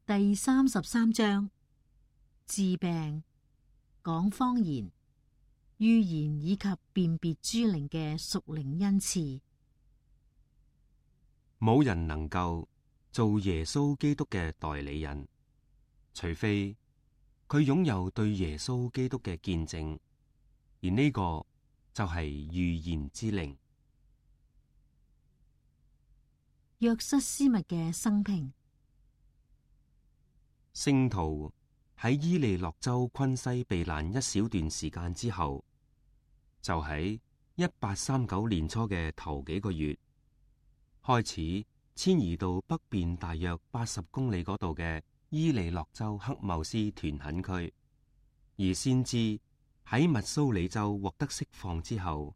第33章，治病、講方言、預言以及辨別諸靈嘅屬靈恩賜。冇人能夠做耶穌基督嘅代理人，除非佢擁有對耶穌基督嘅見證，而呢個就係預言之靈。約瑟斯密嘅生平。聖徒喺伊利諾州昆西避難一小段時間之後，就喺1839年初嘅頭幾個月，開始遷移到北邊大約80公里嗰度嘅伊利諾州黑茂斯屯墾區，而先知喺密蘇里州獲得釋放之後，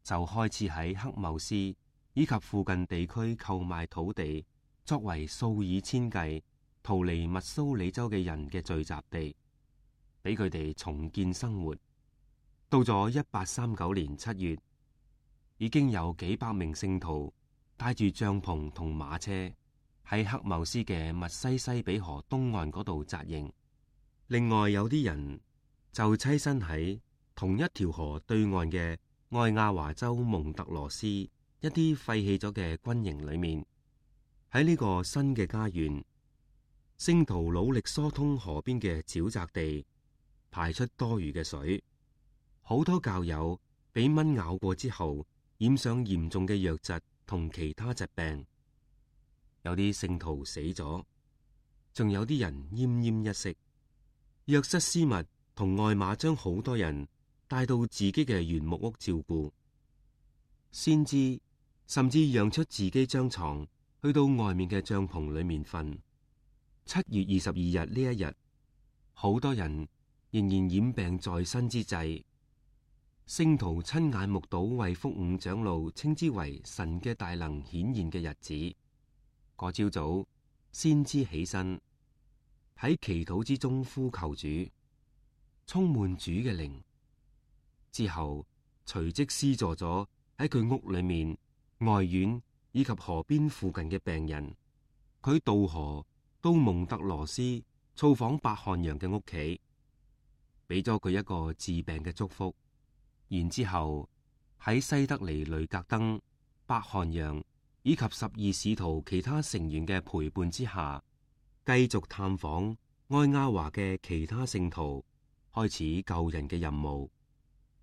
就開始喺黑茂斯以及附近地區購買土地，作為數以千計逃離密蘇里州嘅人嘅聚集地，俾佢哋重建生活。到咗1839年7月，已經有幾百名聖徒帶住帳篷同馬車喺黑茂斯嘅密西西比河東岸嗰度紮營。另外有啲人就棲身喺同一條河對岸嘅愛亞華州蒙特羅斯一啲廢棄咗嘅軍營裏面。喺呢個新嘅家園，聖徒努力疏通河邊嘅沼澤地，排出多餘嘅水。好多教友俾蚊咬過之後，染上嚴重嘅瘧疾同其他疾病。有啲聖徒死咗，仲有啲人奄奄一息。約瑟斯密同外馬將好多人帶到自己嘅原木屋照顧，先知甚至讓出自己張床去到外面嘅帳篷裏面瞓。7月22日呢一日，好多人仍然染病在身之際，聖徒親眼目睹衛福五長老稱之為神嘅大能顯現嘅日子。嗰朝早，先知起身喺祈禱之中呼求主，充滿主嘅靈。之後隨即施助咗喺佢屋裏面、外院以及河邊附近嘅病人。佢渡河到蒙特羅斯造訪伯漢陽嘅屋企，俾咗佢一個治病嘅祝福。然之後喺西德尼雷格登、伯漢陽以及12使徒其他成員嘅陪伴之下，繼續探訪愛亞華嘅其他聖徒，開始救人嘅任務。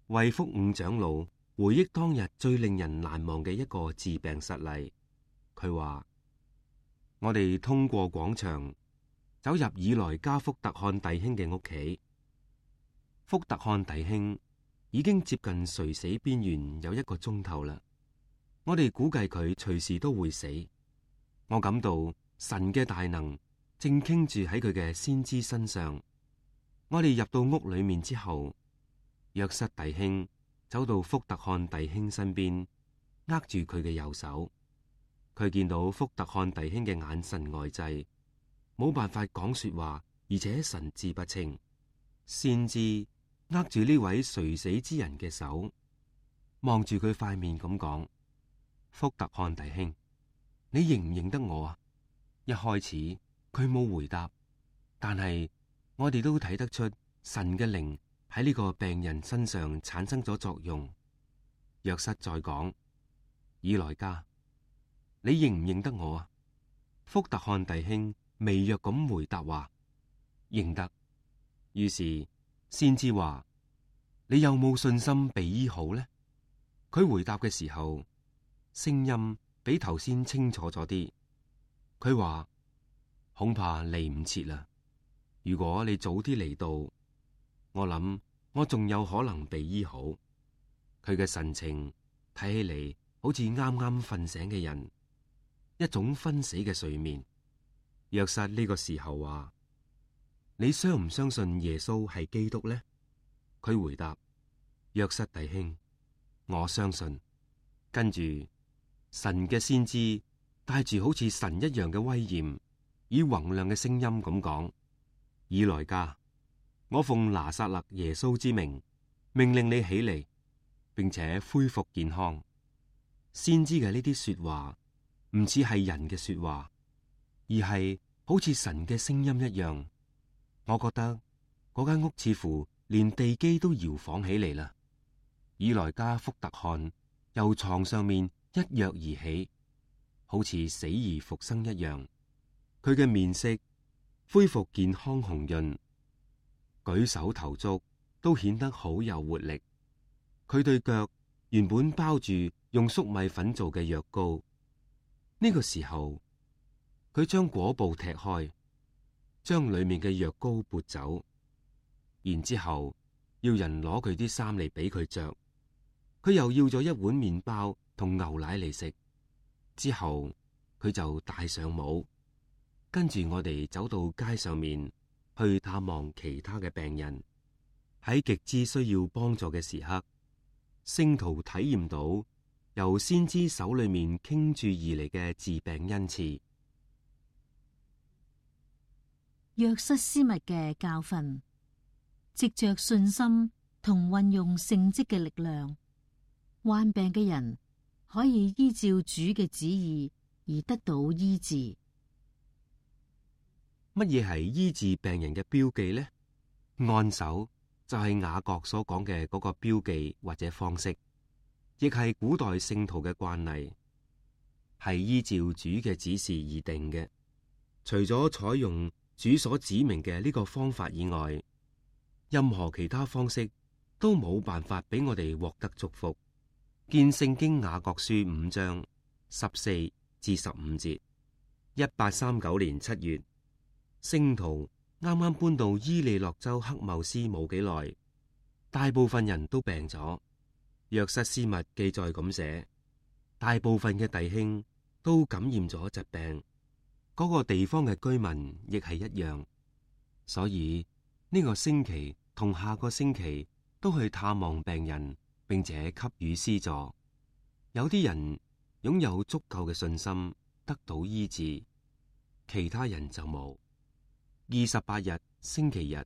衛福五長老回憶當日最令人難忘嘅一個治病實例。佢話：我哋通過廣場走入以來加福特漢弟兄嘅屋企。福特漢弟兄已經接近垂死邊緣有1個鐘頭啦。我哋估計佢隨時都會死。我感到神嘅大能正傾住喺佢嘅先知身上。我哋入到屋裏面之後，約瑟弟兄走到福特漢弟兄身邊，握住佢嘅右手。佢見到福特漢弟兄嘅眼神呆滯，冇辦法講說話，而且神志不清。先知握住呢位垂死之人嘅手，望住佢塊面咁講：福特漢弟兄，你認唔認得我啊？一開始佢冇回答，但係我哋都睇得出神嘅靈喺呢個病人身上產生咗作用。約瑟再講：以來加，你認唔認得我啊？福特漢弟兄微弱咁回答話：認得。於是先知話：你有冇信心被醫好呢？佢回答嘅時候，聲音比頭先清楚咗啲。佢話：恐怕嚟唔切啦。如果你早啲嚟到，我諗我仲有可能被醫好。佢嘅神情睇起嚟好似啱啱瞓醒嘅人，一種昏死嘅睡眠。約瑟呢個時候話：你相唔相信耶穌係基督呢？佢回答：約瑟弟兄，我相信。跟住神嘅先知帶住好似神一樣嘅威嚴，以宏亮嘅聲音咁講：以來加，我奉拿撒勒耶穌之名，命令你起嚟，並且恢復健康。先知嘅呢啲說話唔似係人嘅說話，而係好似神嘅聲音一樣。我覺得嗰間屋似乎連地基都搖晃起嚟啦。以萊加福特汗由床上面一躍而起，好似死而復生一樣。佢嘅面色恢復健康紅潤，舉手投足都顯得好有活力。佢對腳原本包住用粟米粉做嘅藥膏，呢個時候佢將果布踢開，將裏面嘅藥膏撥走，然之後要人攞佢啲衫嚟俾佢着。佢又要咗一碗麵包同牛奶嚟食，之後佢就戴上帽，跟住我哋走到街上面去探望其他嘅病人。喺極之需要幫助嘅時刻，聖徒體驗到由先知手裏面傾注而嚟嘅治病恩賜。約瑟斯密嘅教訓，藉着信心同運用聖職嘅力量，患病嘅人可以依照主嘅旨意而得到醫治。乜嘢係醫治病人嘅標記呢？按手就係雅各所講嘅嗰個標記或者方式，亦係古代聖徒嘅慣例，係依照主嘅指示而定嘅。除咗採用主所指明嘅呢個方法以外，任何其他方式都冇辦法俾我哋獲得祝福。見聖經雅各書5章14至15節。1839年7月，聖徒啱啱搬到伊利諾州黑茂斯冇幾耐，大部分人都病咗。約瑟斯密記載咁寫，大部分嘅弟兄都感染咗疾病，嗰個地方嘅居民亦係一樣，所以呢個星期同下個星期都去探望病人，並且給予施助。有啲人擁有足夠嘅信心得到醫治，其他人就冇。28日星期日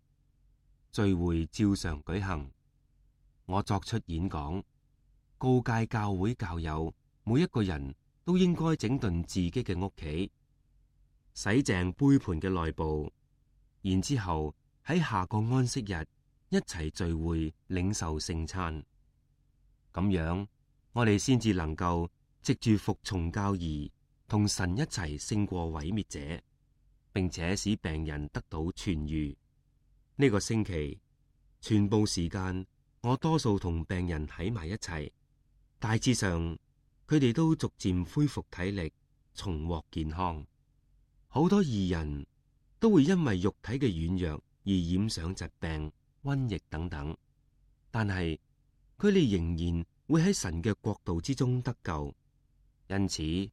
聚會照常舉行，我作出演講，告誡教會教友每一個人都應該整頓自己嘅屋企，洗淨杯盤嘅內部，然之後喺下個安息日一齊聚會領受聖餐。咁樣我哋先至能夠藉住服從教義，同神一齊勝過毀滅者，並且使病人得到痊癒。呢個星期全部時間，我多數同病人喺埋一齊，大致上佢哋都逐漸恢復體力，重獲健康。好多義人都會因為肉體嘅軟弱而染上疾病、瘟疫等等，但係佢哋仍然會喺神嘅國度之中得救。因此，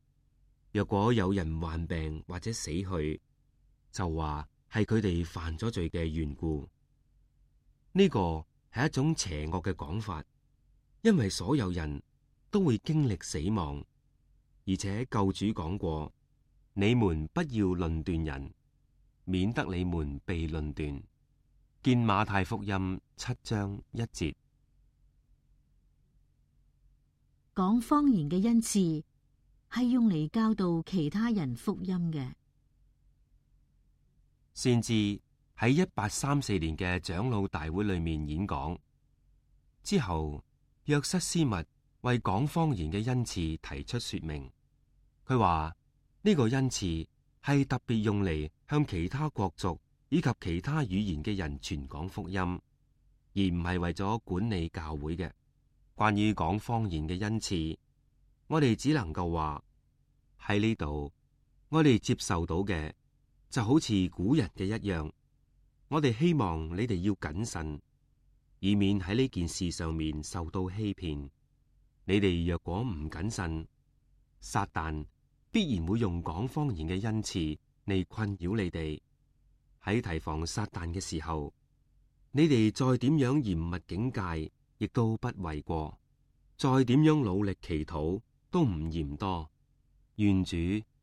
若果有人患病或者死去，就話係佢哋犯咗罪嘅緣故。呢個係一種邪惡嘅講法，因為所有人都會經歷死亡，而且救主講過：你們不要論斷人，免得你們被論斷。見馬太福音7章1節。講方言嘅恩賜係用嚟教導其他人福音嘅。先至喺1834年嘅長老大會裏面演講之後，約瑟斯密為講方言嘅恩賜提出說明。佢話呢個恩賜係特別用嚟向其他國族以及其他語言嘅人傳講福音，而唔係為咗管理教會嘅。關於講方言嘅恩賜，我哋只能夠話喺呢度，我哋接受到嘅就好似古人嘅一樣。我哋希望你哋要謹慎，以免喺呢件事上面受到欺騙。你哋若果唔謹慎，撒旦必然會用講方言嘅恩賜嚟困擾你哋。喺提防撒旦嘅時候，你哋再點樣嚴密警戒，亦都不為過；再點樣努力祈禱，都唔嫌多。願主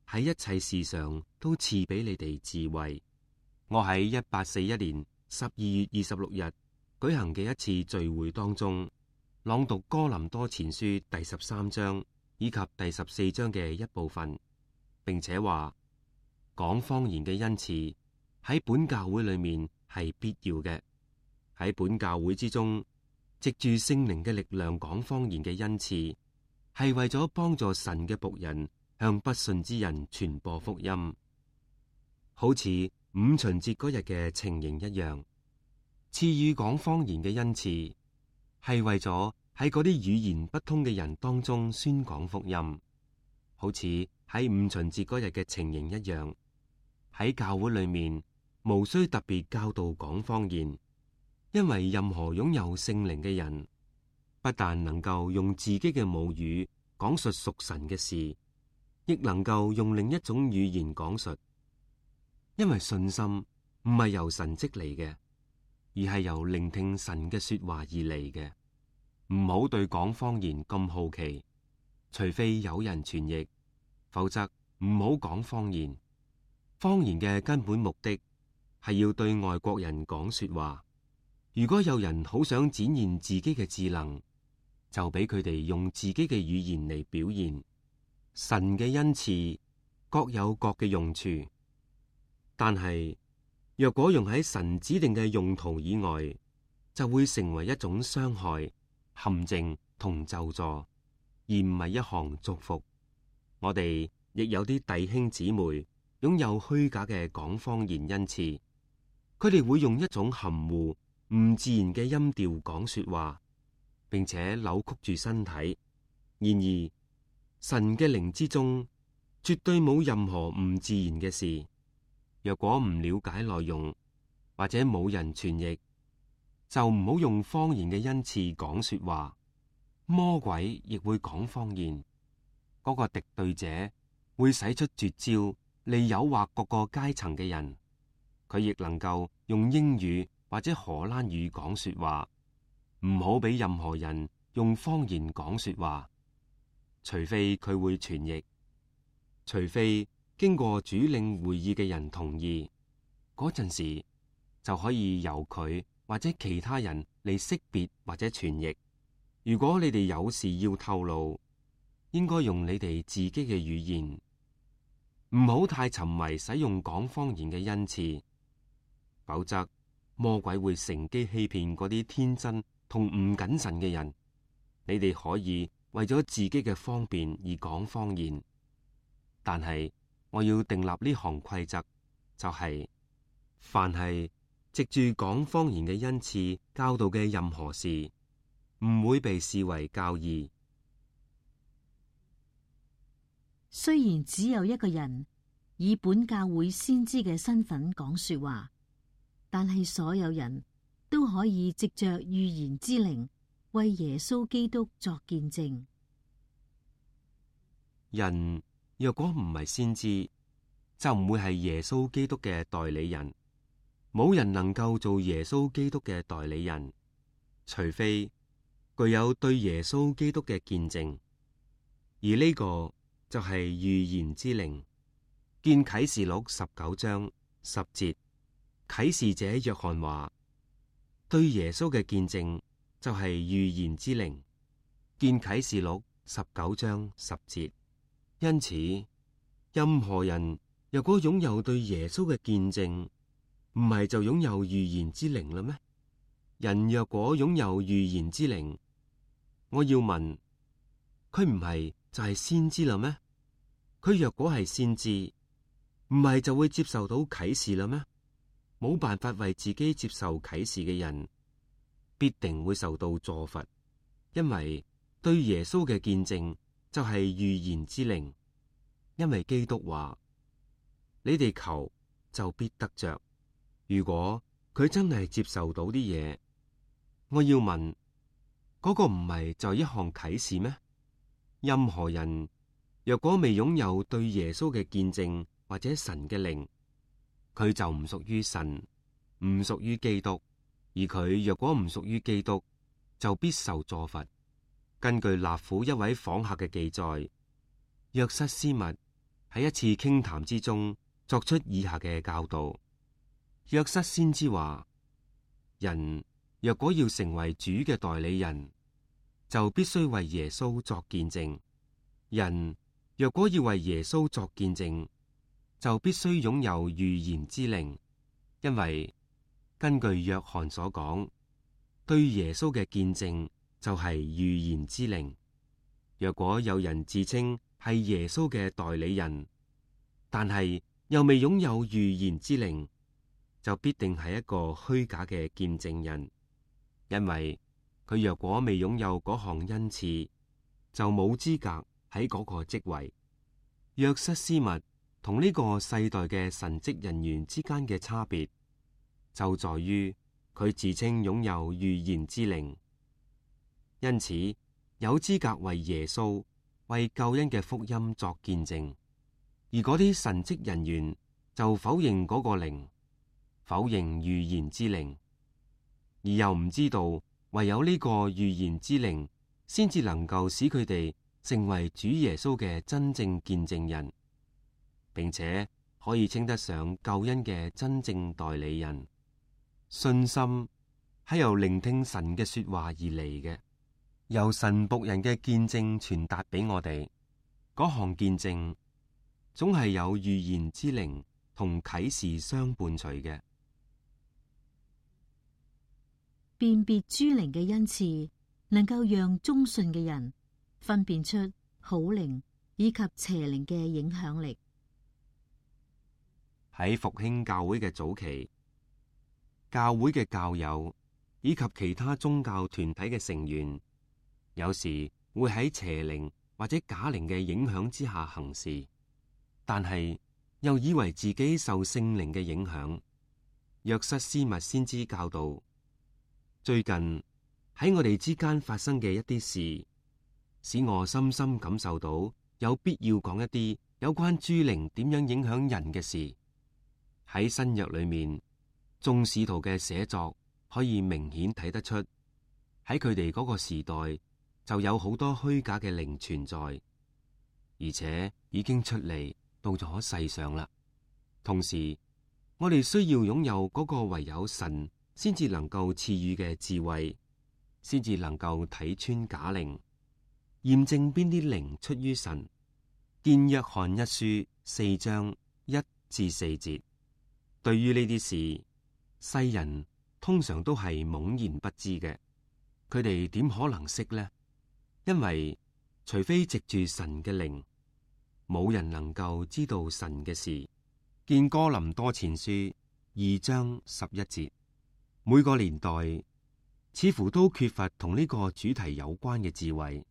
喺一切事上都賜俾你哋智慧。我喺1841年12月26日舉行嘅一次聚會當中，朗讀哥林多前書第13章以及第14章嘅一部分，並且話講方言嘅恩賜喺本教會裏面係必要嘅。喺本教會之中，藉住聖靈嘅力量講方言嘅恩賜，係為咗幫助神嘅僕人向不信之人傳播福音，好似五旬節嗰日嘅情形一樣。賜予講方言嘅恩賜，係為咗喺嗰啲語言不通嘅人當中宣講福音，好似喺五旬節嗰日嘅情形一樣。喺教會裏面，無需特別教導講方言，因為任何擁有聖靈嘅人，不但能夠用自己嘅母語講述屬神嘅事，亦能夠用另一種語言講述。因為信心唔係由神蹟嚟嘅，而係由聆聽神嘅說話而嚟嘅。唔好對講方言咁好奇，除非有人傳譯，否則唔好講方言。方言嘅根本目的係要對外國人講說話。如果有人好想展現自己嘅智能，就俾佢哋用自己嘅語言嚟表現。神嘅恩賜各有各嘅用處，但係若果用喺神指定嘅用途以外，就會成為一種傷害、陷阱同咒詛，而唔係一項祝福。我哋亦有啲弟兄姊妹擁有虛假嘅講方言恩賜，佢哋會用一種含糊唔自然嘅音調講說話，並且扭曲住身體。然而，神嘅靈之中絕對冇任何唔自然嘅事。若果唔了解內容，或者冇人傳譯，就唔好用方言嘅恩賜講說話。魔鬼亦會講方言，嗰個敵對者會使出絕招嚟誘惑各個階層嘅人。佢亦能夠用英語或者荷蘭語講說話。唔好俾任何人用方言講說話，除非佢會傳譯，除非經過主領會議嘅人同意，嗰陣時就可以由佢或者其他人嚟識別或者傳譯。如果你哋有事要透露，應該用你哋自己嘅語言，唔好太沉迷使用講方言嘅恩賜，否則魔鬼會乘機欺騙嗰啲天真同唔謹慎嘅人。你哋可以為咗自己嘅方便而講方言，但係我要訂立呢項規則，就係凡係藉住講方言嘅恩賜教導嘅任何事，唔會被視為教義。雖然只有一個人以本教會先知嘅身份講說話，但係所有人都可以藉着預言之靈為耶穌基督作見證。人若果唔係先知，就唔會係耶穌基督嘅代理人。冇人能夠做耶穌基督嘅代理人，除非具有對耶穌基督嘅見證。而呢個就係預言之靈。見啟示錄19章10節，啟示者約翰話，對耶穌嘅見證就係預言之靈。見啟示錄19章10節。因此，任何人若果擁有對耶穌嘅見證，唔係就擁有預言之靈啦咩？人若果擁有預言之靈，我要問，佢唔係就係先知啦咩？佢若果係先知，唔係就會接受到啟示啦咩？冇辦法為自己接受啟示嘅人，必定會受到詛罰，因為對耶穌嘅見證就係預言之靈。因為基督話：你哋求就必得着。如果佢真係接受到啲嘢，我要問，嗰個唔係就係一項啟示咩？任何人若果未擁有對耶穌嘅見證或者神嘅靈，佢就唔屬於神，唔屬於基督。而佢若果唔屬於基督，就必受詛罰。根據納府一位訪客嘅記載，約瑟斯密喺一次傾談之中作出以下嘅教導。約瑟先知話：人若果要成為主嘅代理人，就必須為耶穌作見證。人若果要為耶穌作見證，就必須擁有預言之靈，因為根據約翰所講，對耶穌嘅見證就係預言之靈。若果有人自稱係耶穌嘅代理人，但係又未擁有預言之靈，就必定係一個虛假嘅見證人，因為佢若果未擁有嗰項恩賜，就冇資格喺嗰個職位。約瑟斯密同呢個世代嘅神職人員之間嘅差別，就在於佢自稱擁有預言之靈，因此有資格為耶穌、為救恩嘅福音作見證。而嗰啲神職人員就否認嗰個靈，否認預言之靈，而又唔知道唯有呢個預言之靈，先至能夠使佢哋成為主耶穌嘅真正見證人，並且可以稱得上救恩嘅真正代理人。信心係由聆聽神嘅說話而嚟嘅，由神僕人嘅見證傳達俾我哋。嗰項見證總係有預言之靈同啟示相伴隨嘅。辨別諸靈嘅恩賜，能夠讓忠信嘅人分辨出好靈以及邪靈嘅影響力。喺復興教會嘅早期，教會嘅教友以及其他宗教團體嘅成員，有時會喺邪靈或者假靈嘅影響之下行事，但係又以為自己受聖靈嘅影響。約瑟斯密先知教導，最近喺我哋之間發生嘅一啲事，使我深深感受到有必要講一啲有關諸靈點樣影響人嘅事。喺新約裏面，眾使徒嘅寫作可以明顯睇得出，喺佢哋嗰個時代就有好多虛假嘅靈存在，而且已經出嚟到咗世上啦。同時，我哋需要擁有嗰個唯有神先至能夠賜予嘅智慧，先至能夠睇穿假靈，驗證邊啲靈出於神。見約翰一書4章1至4節。對於呢啲事，世人通常都係懵然不知嘅。佢哋點可能識呢？因為除非藉住神嘅靈，冇人能夠知道神嘅事。見哥林多前書2章11節。每個年代似乎都缺乏同呢個主題有關嘅智慧。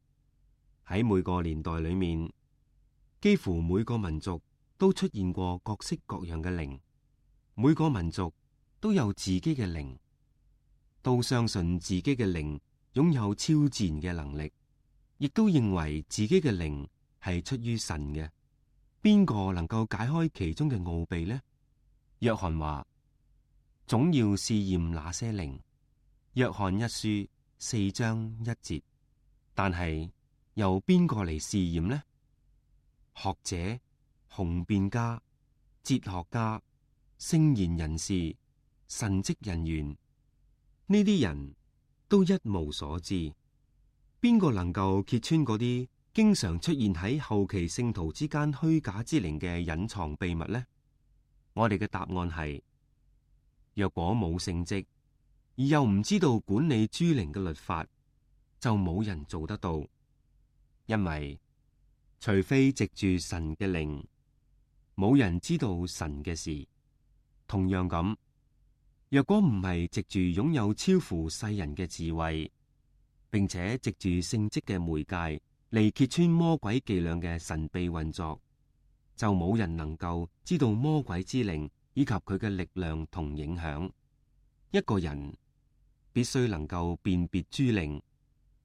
喺每個年代裏面，幾乎每個民族都出現過各式各樣嘅靈。每個民族都有自己嘅靈，都相信自己嘅靈擁有超自然嘅能力，亦都認為自己嘅靈係出於神嘅。邊個能夠解開其中嘅奧秘呢？約翰話，總要試驗那些靈。約翰一書4章1節。但係由邊個嚟試驗呢？學者、雄辯家、哲學家、聖賢人士、神職人員，呢啲人都一無所知。邊個能夠揭穿嗰啲經常出現喺後期聖徒之間虛假之靈嘅隱藏秘密呢？我哋嘅答案係：若果冇聖職，而又唔知道管理諸靈嘅律法，就冇人做得到。因為除非藉住神嘅靈，冇人知道神嘅事。同樣咁，若果唔係藉住擁有超乎世人嘅智慧，並且藉住聖職嘅媒介嚟揭穿魔鬼伎倆嘅神秘運作，就冇人能夠知道魔鬼之靈以及佢嘅力量同影響。一個人必須能夠辨別諸靈，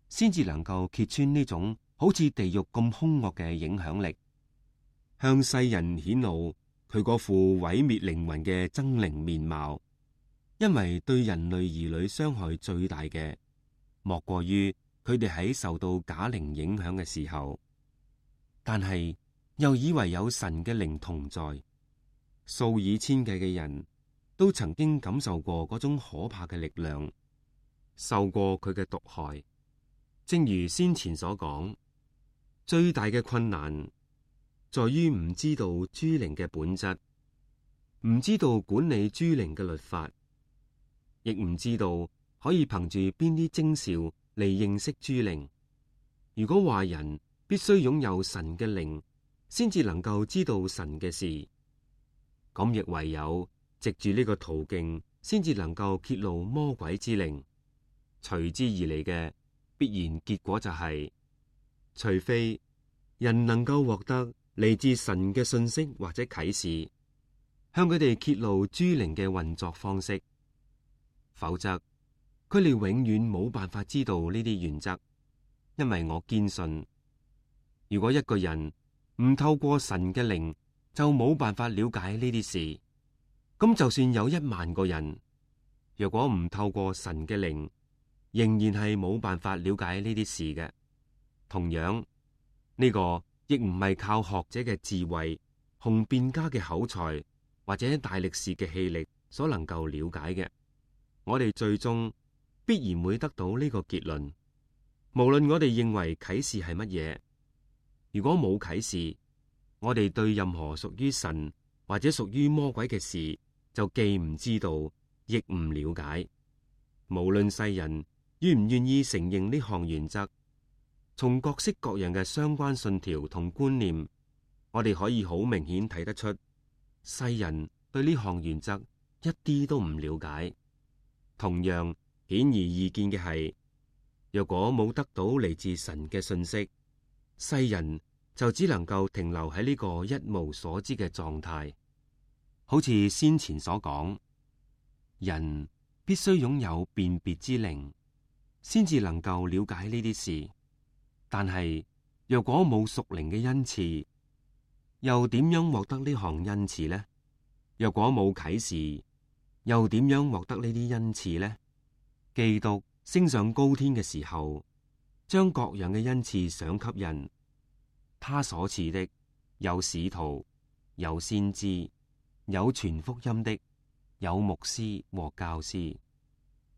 先至能夠揭穿呢種好似地獄咁兇惡嘅影響力，向世人顯露佢嗰副毀滅靈魂嘅猙獰面貌。因為對人類兒女傷害最大嘅，莫過於佢哋喺受到假靈影響嘅時候，但係又以為有神嘅靈同在。數以千計嘅人都曾經感受過嗰種可怕嘅力量，受過佢嘅毒害。正如先前所講，最大嘅困難在於唔知道諸靈嘅本質，唔知道管理諸靈嘅律法，亦唔知道可以憑住邊啲徵兆嚟認識諸靈。如果話人必須擁有神嘅靈，先至能夠知道神嘅事，咁亦唯有藉住呢個途徑，先至能夠揭露魔鬼之靈。隨之而嚟嘅必然結果就係，除非人能夠獲得嚟自神嘅信息或者啟示，向佢哋揭露諸靈嘅運作方式，否則佢哋永遠冇辦法知道呢啲原則。因為我堅信，如果一個人唔透過神嘅靈，就冇辦法了解呢啲事。咁就算有10000個人，若果唔透過神嘅靈，仍然係冇辦法了解呢啲事嘅。同樣，呢個亦唔係靠學者嘅智慧、雄辯家嘅口才或者大力士嘅氣力所能夠了解嘅。我哋最終必然會得到呢個結論。無論我哋認為啟示係乜嘢，如果冇啟示，我哋對任何屬於神或者屬於魔鬼嘅事，就既唔知道，亦唔了解。無論世人願唔願意承認呢項原則，從各式各樣嘅相關信條同觀念，我哋可以好明顯睇得出，世人對呢項原則一啲都唔了解。同樣顯而易見嘅係，若果冇得到嚟自神嘅信息，世人就只能夠停留喺呢個一無所知嘅狀態。好似先前所講，人必須擁有辨別之靈，先至能夠了解呢啲事。但係若果冇屬靈嘅恩賜，又點樣獲得呢項恩賜呢？若果冇啟示，又點樣獲得呢啲恩賜呢？基督升上高天嘅時候，將各樣嘅恩賜賞給人。他所賜的有使徒，有先知，有傳福音的，有牧師和教師。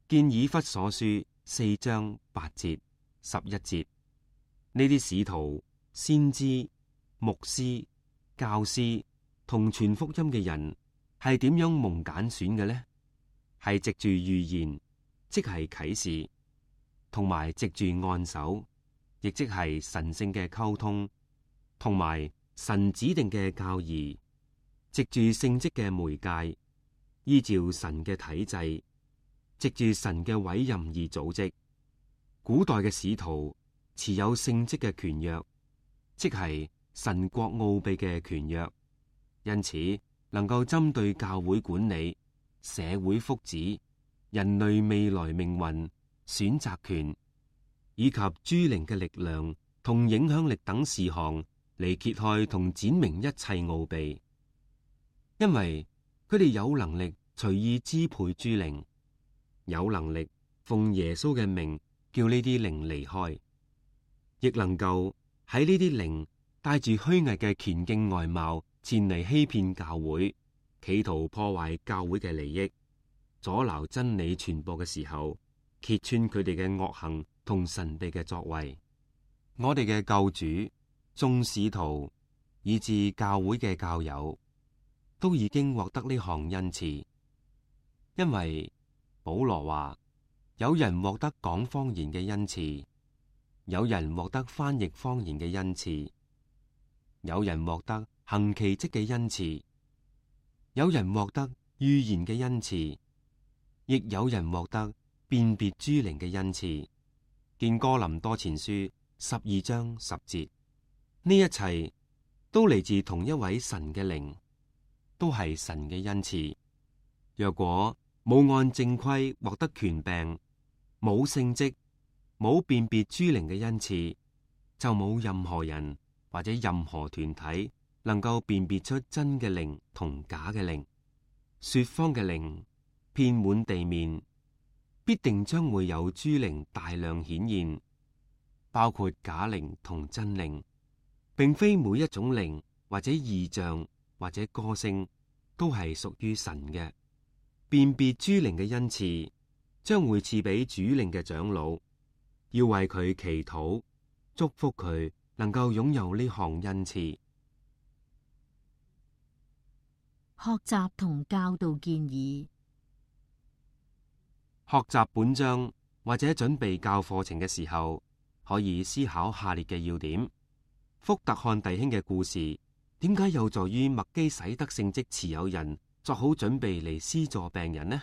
見以弗所書4章8節、11節。呢啲使徒、先知、牧師、教師同傳福音嘅人係點樣蒙揀選嘅呢？係藉住預言，即係啟示，同埋藉住按手，亦即係神聖嘅溝通，同埋神指定嘅教義，藉住聖職嘅媒介，依照神嘅體制，藉住神嘅委任而組織。古代嘅使徒持有聖職嘅權約，即係神國奧秘嘅權約，因此能夠針對教會管理、社會福祉、人類未來命運、選擇權以及諸靈嘅力量同影響力等事項嚟揭開同展明一切奧秘。因為佢哋有能力隨意支配諸靈，有能力奉耶穌嘅名叫呢啲靈離開，亦能夠喺呢啲靈帶住虛偽嘅虔敬外貌前嚟欺騙教會，企圖破壞教會嘅利益，阻撓真理傳播嘅時候，揭穿佢哋嘅惡行同神秘嘅作為。我哋嘅救主、眾使徒以至教會嘅教友都已經獲得呢項恩賜。因為保羅話，有人獲得講方言嘅恩賜，有人獲得翻譯方言嘅恩賜，有人獲得行奇蹟嘅恩賜，有人獲得預言嘅恩賜，亦有人獲得辨別諸靈嘅恩賜。見哥林多前書12章10節。呢一切都嚟自同一位神嘅靈，都係神嘅恩賜。若果冇按正規獲得權柄，冇聖職，冇辨別諸靈嘅恩賜，就冇任何人或者任何團體能夠辨別出真嘅靈同假嘅靈。說謊嘅靈遍滿地面，必定將會有諸靈大量顯現，包括假靈同真靈，並非每一種靈或者異象或者歌聲都係屬於神嘅。辨別諸靈嘅恩賜將會賜俾主靈嘅長老，要為佢祈禱，祝福佢能夠擁有呢項恩賜。學習同教導建議。學習本章或者準備教課程嘅時候，可以思考下列嘅要點：福特漢弟兄嘅故事點解有助於麥基洗德聖職持有人作好準備嚟施助病人呢？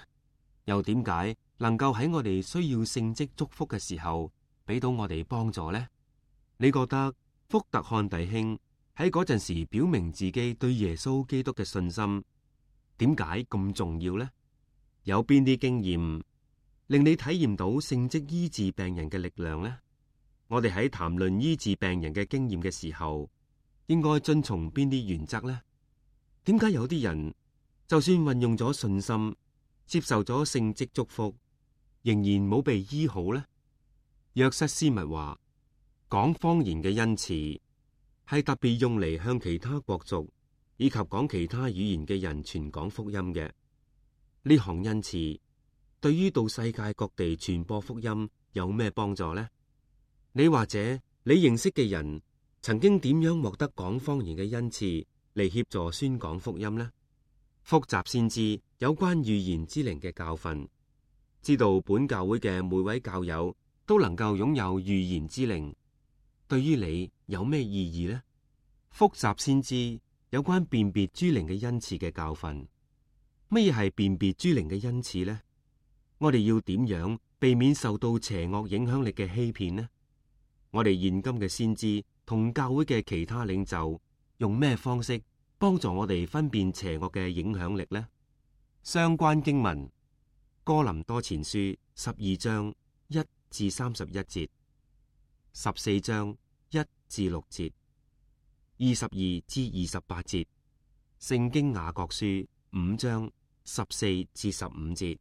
又點解能夠喺我哋需要聖職祝福嘅時候俾到我哋幫助呢？你覺得福特漢弟兄喺嗰陣時表明自己對耶穌基督嘅信心，點解咁重要呢？有邊啲經驗令你體驗到聖職醫治病人嘅力量呢？我哋喺談論醫治病人嘅經驗嘅時候，應該遵從邊啲原則呢？點解有啲人就算運用咗信心，接受咗聖職祝福，仍然冇被醫好呢？約瑟斯密話，講方言嘅恩賜係特別用嚟向其他國族以及講其他語言嘅人傳講福音嘅。呢項恩賜對於到世界各地傳播福音有咩幫助呢？你或者你認識嘅人曾經點樣獲得講方言嘅恩賜嚟協助宣講福音呢？複習先知有關預言之靈嘅教訓，知道本教會嘅每位教友都能夠擁有預言之靈，對於你有咩意義呢？複習先知有關辨別諸靈嘅恩賜嘅教訓，乜嘢係辨別諸靈嘅恩賜呢？我哋要點樣避免受到邪惡影響力嘅欺騙呢？我哋現今嘅先知同教會嘅其他領袖用咩方式幫助我哋分辨邪惡嘅影響力呢？相關經文：哥林多前書12章1至31節，14章1至6節，22至28節，聖經雅各書5章14至15節，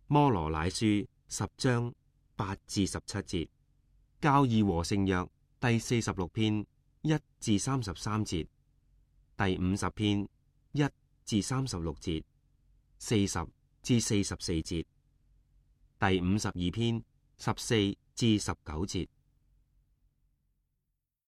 摩羅乃書10章8至17節，教義和聖約第46篇1至33節，第50篇1至36節，40至44節，第52篇14至19節。